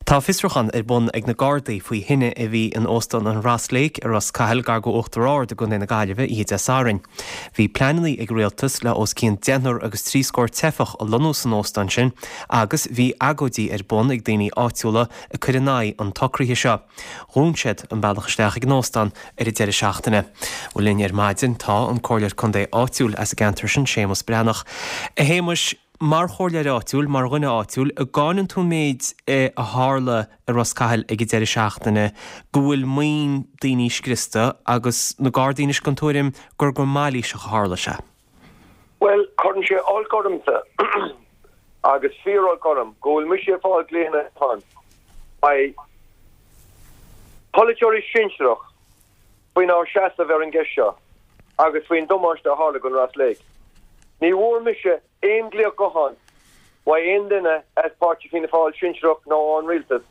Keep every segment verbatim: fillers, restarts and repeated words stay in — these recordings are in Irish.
Tá fiosrúchán ar bun ag na Gardaí faoi thine a bhí in Óstán an Ross Lake i Ros Cathail gar go Uachtar Ard i gContae na Gaillimhe oíche Dé Sathairn. Bhí pleananna ag rialtas le os cionn deichniúr agus trí scór teifeach a lonnú san óstán sin agus bhí agóidí ar bun ag daoine áitiúla ag cur in aghaidh an tsocraithe seo. Dhún siad an bealach isteach ag an óstán ar an deireadh seachtaine. Bhuel linn ar maidin tá an comhairleoir contae áitiúil as an gceantar sin Séamus Breathnach. A Shéamuis, mar chomhairleoir áitiúil, mar dhuine áitiúil, an gcáineann tú an méid a tharla i Ros Cathail ag an deireadh seachtaine go bhfuil maoin daoine scriosta agus na Gardaí anois den tuairim gur go mailíseach a tharla sé. Well, cuireann sé olc ormsa agus fíor-olc orm go bhfuil mise ag fáil glaonna ó pholaiteoirí sinsearach faoinár seasamh ar an gceist seo agus faoin damáiste a tharla don Ross Lake. Ní bhfuair mise aon ghlaoch gutháin uaidh aon duine as páirtí Fianna Fáil sinsearach nó ón rialtas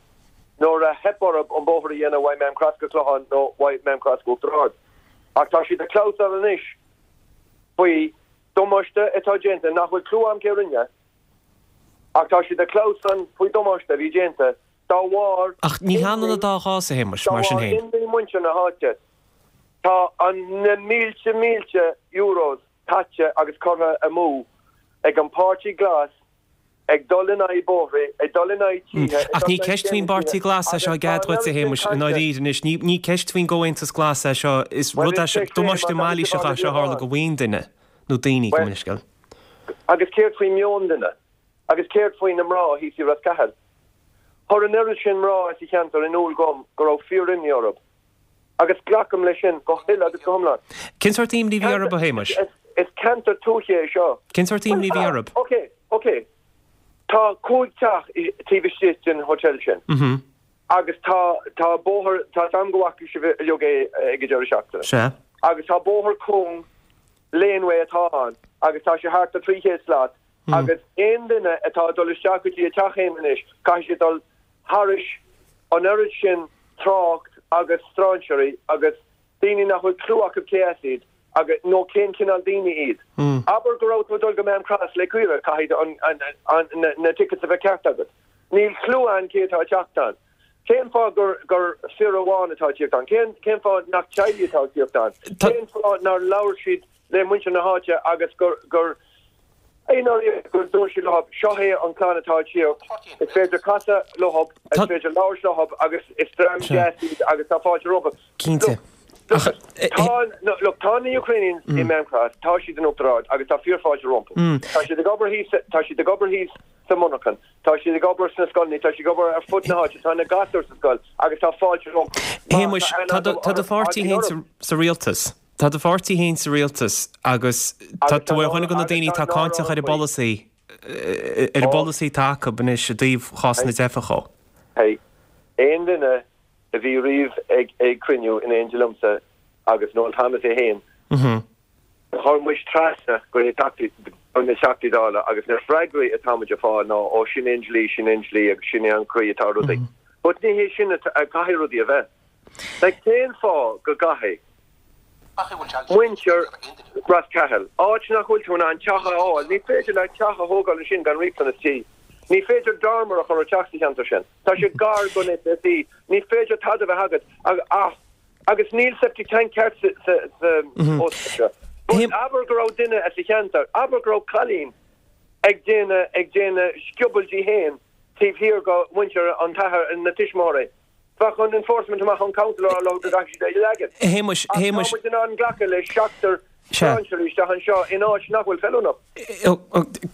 nuair a theip orthu an bóthar a dhéanamh uaidh Maam Cross go Clochán nó uaidh Maam Cross go Uachtar Ard. Ach tá siad ag clamhsán anois faoi damáiste atá déanta nach bhfuil clue agam cé rinne, ach tá siad ag clamhsán faoi damáiste a bhí déanta dá bharr Ach ní hionann an dá chás a Shéamuis, mar sin féin. Dá bharr imní muintir na háite. Tá an na mílte mílte euros caite agus curtha amú ag an Páirtí Glas ag dul in aghaidh bóithre, ag dul in aghaidh tithe. Ach ní ceist faoin bPáirtí Glas é seo i gcead dhuit a Shéamuis, i ndáiríre anois. Ní ní ceist faoin gComhaontas Glas é seo, is rud é seo, damáiste mailíseach é seo a tharla do mhaoin duine, nó daoine, gabh mo leithscéal. Agus céard faoi meon duine? Agus céard faoi na mná thíos i Ros Cathail? Chuir an oiread sin mná as an cheantar in iúl dom go raibh fíor-imní orthu. Agus glacaim leis sin go huile agus go hiomlán. Cén sórt imní a bhí orthu, a Shéamuis? Is ceantar tuaithe é seo. Cén sórt imní a bhí orthu? Ok, ok. Tá cúig teach taobh istigh den hotel sin. Agus tá tá bóthar, tá am go bhfaca sibh uilig é ag an deireadh seachtaine. Sea. Agus tá bóthar cúng, laneway atá ann agus tá sé thart ar trí chéad slat agus aon duine atá ag dul isteach go dtí a teach féin anois caithfidh siad dul thairis an oiread sin trácht agus strainséirí agus daoine nach bhfuil clue acu cé as iad agus nó cén cineál daoine iad. Abair go raibh tú ag dul go Maam Cross le caoire, caithfidh an, an, an, na, na tickets a bheith ceart agat. Níl clue ann cé atá ag teacht ann. Cén fáth gur, gur fir amháin atá ag tíocht ann? Cén, cén fáth nach teaghlaigh atá ag tíocht ann? Cén fáth nár labhair siad le muintir na háite agus gur, gur, i ndáiríre gur dúirt siad leo, seo é an clann atá ag tíocht, is féidir casadh leo, is féidir labhairt leo agus is dream deas iad agus tá fáilte rompu. Cinnte. Look, tá, look, tá na Ukrainians i Maam Cross, tá siad in Uachtar Ard agus tá fíorfháilte rompu. Tá siad ag obair thíos, tá siad ag obair thíos sa monarchan, tá siad ag obair sna scoileanna, tá siad ag obair ar fud na háite, tá na gasúir sa scoil agus tá fáilte rompu. Shéamuis, tá do, tá do pháirtí féin sa rialtas. Tá do pháirtí féin sa rialtas agus tá tú ar dhuine de na daoine atá cáinteach ar an bpolasaí, ar an bpolasaí atá acu anois i dtaobh chás na dteifeach dhó. Hey, aon duine a bhí riamh ag ag cruinniú in éindí liomsa agus Noel Thomas é féin, chuir muid trasna go dtí na Teachtaí Dála agus na freagraí atá muid ag fáil ná ó sin é an dlí, sin é an dlí agus sin é an chaoi atá rudaí. But ní hé sin a caithfidh rudaí a bheith. Like cén fáth go gcaithfidh muintir Ros Cathail, áit nach bhfuil tú in ann teach a fháil, ní féidir leat teach a thógáil ansin gan riachtanas tí. Ní féidir dormer a chur ar teach sa cheantar sin. Tá sé gar don SSE, ní féidir tada a bheith agat ach agus níl septic tank ceart sa sa óstán seo. But abair go raibh duine as an cheantar, abair go raibh cailín ag déanamh ag déanamh scioból di féin taobh thiar go muintir an t-athair na tuismitheoirí. Bheadh an enforcement amach ón council á rá leo go gcaithfidh siad é a leagan. A Shéamuis, Ach tá Shéamuis. muid in ann glacadh le seachtar strainséirí isteach anseo in áit nach bhfuil feiliúnach.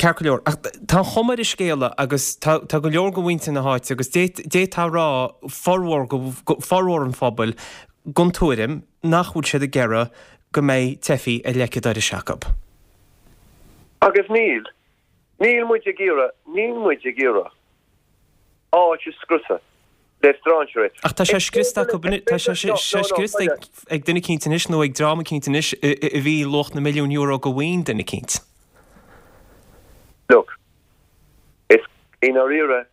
Ceart go leor. Ach tá an chuma ar an scéala agus tá tá go leor de mhuintir na háite agus d'fhéadfá a rá formhór formhór an phobail den tuairim nach bhfuil siad ag iarraidh go mbeidh teifigh ar leic an dorais acu. Agus níl. Níl muid ag iarraidh, níl muid ag iarraidh áit a scriosadh le strainséirí. Ach tá sé scriosta acu, tá sé scriosta ag duine eicínt anois nó ag dream eicínt anois a bhí luach na milliún euro de mhaoin duine eicínt. Look, is i ndáiríre,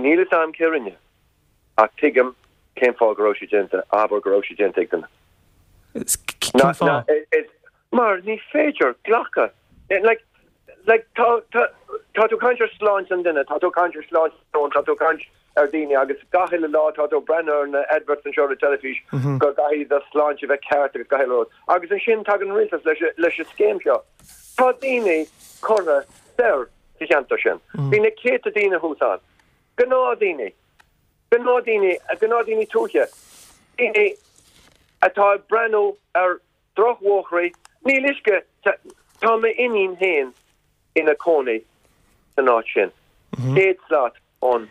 níl fhios a'm cé rinne, ach tuigim cén fáth go raibh sé déanta, abair go raibh sé déanta ag duine. Cén fáth? Mar ní féidir glacadh, like, like, tá, tá, tá tú ag caint ar sláinte an duine, tá tú ag caint ar sláinte an domhain, tá tú ag caint ar daoine agus gach uile lá tá tú ag breathnú ar na adverts anseo ar an teilifís go gcaithfidh do shláinte bheith ceart agus gach uile rud. Agus ansin tagann an rialtas leis leis an scéim seo. Tá daoine curtha soir sa cheantar sin. Bhí na céadta daoine thuas ann. Gnáthdhaoine. Gnáthdhaoine, gnáthdhaoine tuaithe. Daoine atá ag breathnú ar drochbhóithre. Níl uisce, tá m'iníon féin ina cónaí san áit sin, céad slat ón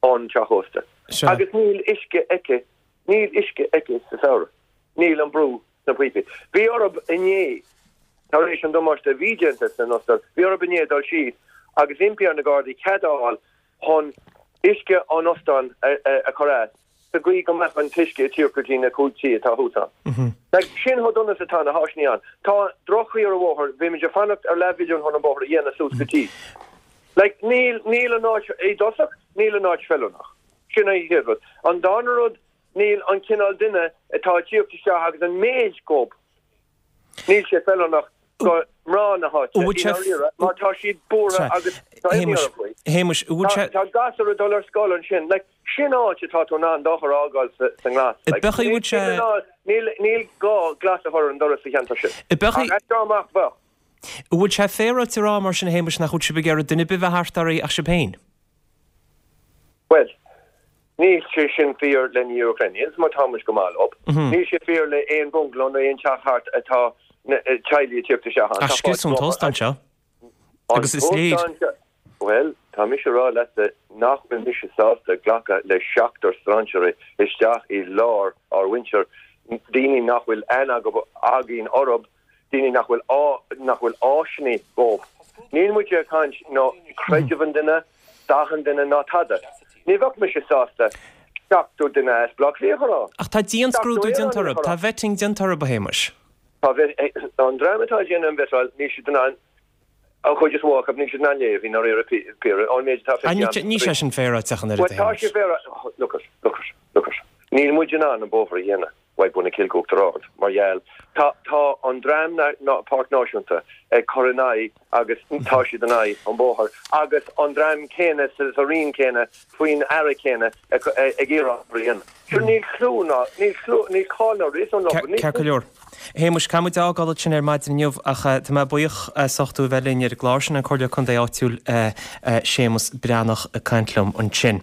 ón teach ósta. Agus níl uisce aici, níl uisce aici sa samhradh. Níl an brú sna píopaí. Bhí orthu inné, tar éis an damáiste a bhí déanta san óstán, bhí orthu inné dul síos agus impí ar na Gardaí cead a fháil chun uisce an óstáin a chur as sa gcaoi go mbeadh an t-uisce ag tíocht go dtí na cúig tí atá thuas ann. Like, sin chomh dona is atá na háiseanna ann. Tá droch-chaoi ar an bhóthar, bhí muid ag fanacht ar leathmhilliún chun an bóthar a dhéanamh suas go dtí. Like, níl, níl an áit, i dtosach, níl an áit feiliúnach. Sin an chéad rud. An darna rud, níl an cineál duine atá ag tíocht isteach agus an méid gob, níl sé feiliúnach do mná na háite, i ndáiríre, mar tá siad buartha agus tá imní orthu faoi. Shéamuis, an bhfuil sé. Tá gasúir ag dul ar scoil ansin. Like, sin áit atá tú in ann d'eochair a fhágáil sa nglas. Like, Beidh, bhfuil sé. Níl, níl gá glas a chur ar an doras sa cheantar sin. Beidh. Ach as seo amach, bheadh. An bhfuil sé féaráilte a rá mar sin, a Shéamuis, nach bhfuil sibh ag iarraidh duine ar bith bheith thart oraibh ach sibh féin? Bhuel, níl sé sin fíor le na Ukrainians mar tá muid go maith leo. Níl sé fíor le aon bungalow nó aon teach thart atá na teaghlaigh ag tíocht isteach ann. Ach scriosadh an t-óstán seo agus is léir. Bhuel, tá mise ag rá leatsa nach bhfuil mise sásta glacadh le seachtar strainséirí isteach i lár ár mhuintir, daoine nach bhfuil aithne againn orthu, daoine nach bhfuil nach bhfuil áiseanna dhóibh. Níl muid ag caint ná creideamh an duine, dath an duine ná tada. Ní bheadh mise sásta seachtó duine as Baile Átha Cliath a chur ann. Ach tá dianscrúdú déanta orthu, tá vetting déanta orthu, a Shéamuis. Tá an dream atá ag déanamh an vettáil, níl siad in ann, an chuid is mó acu, níl siad in ann léamh i ndáiríre píre, ón méid atá feicthe agam. Níl sé sin féaráilte ach an oiread, a Bhuel, tá sé Shéamuis. féaráilte, look at, look at, look at. Níl muid in ann an bóthar a dhéanamh uaidh Bun na Cille go Uachtar Ard mar gheall, tá, tá an dream na, na, Páirc Náisiúnta ag cur in aghaidh agus tá siad in aghaidh an bóthar agus an dream céanna sa, sa roinn céanna faoin aire céanna ag, ag iarraidh an bóthar a dhéanamh. Sure níl clú ná, níl clú, níl cáil ná réasún leo, níl. Ceart go leor. A Shéamuis, caithfidh muid a fhágáil ansin ar maidin inniu ach tá mé buíoch as ucht tú a bheith linn ar an gclár sin, an Comhairleoir Contae áitiúil Séamus Breathnach ag caint liom ansin.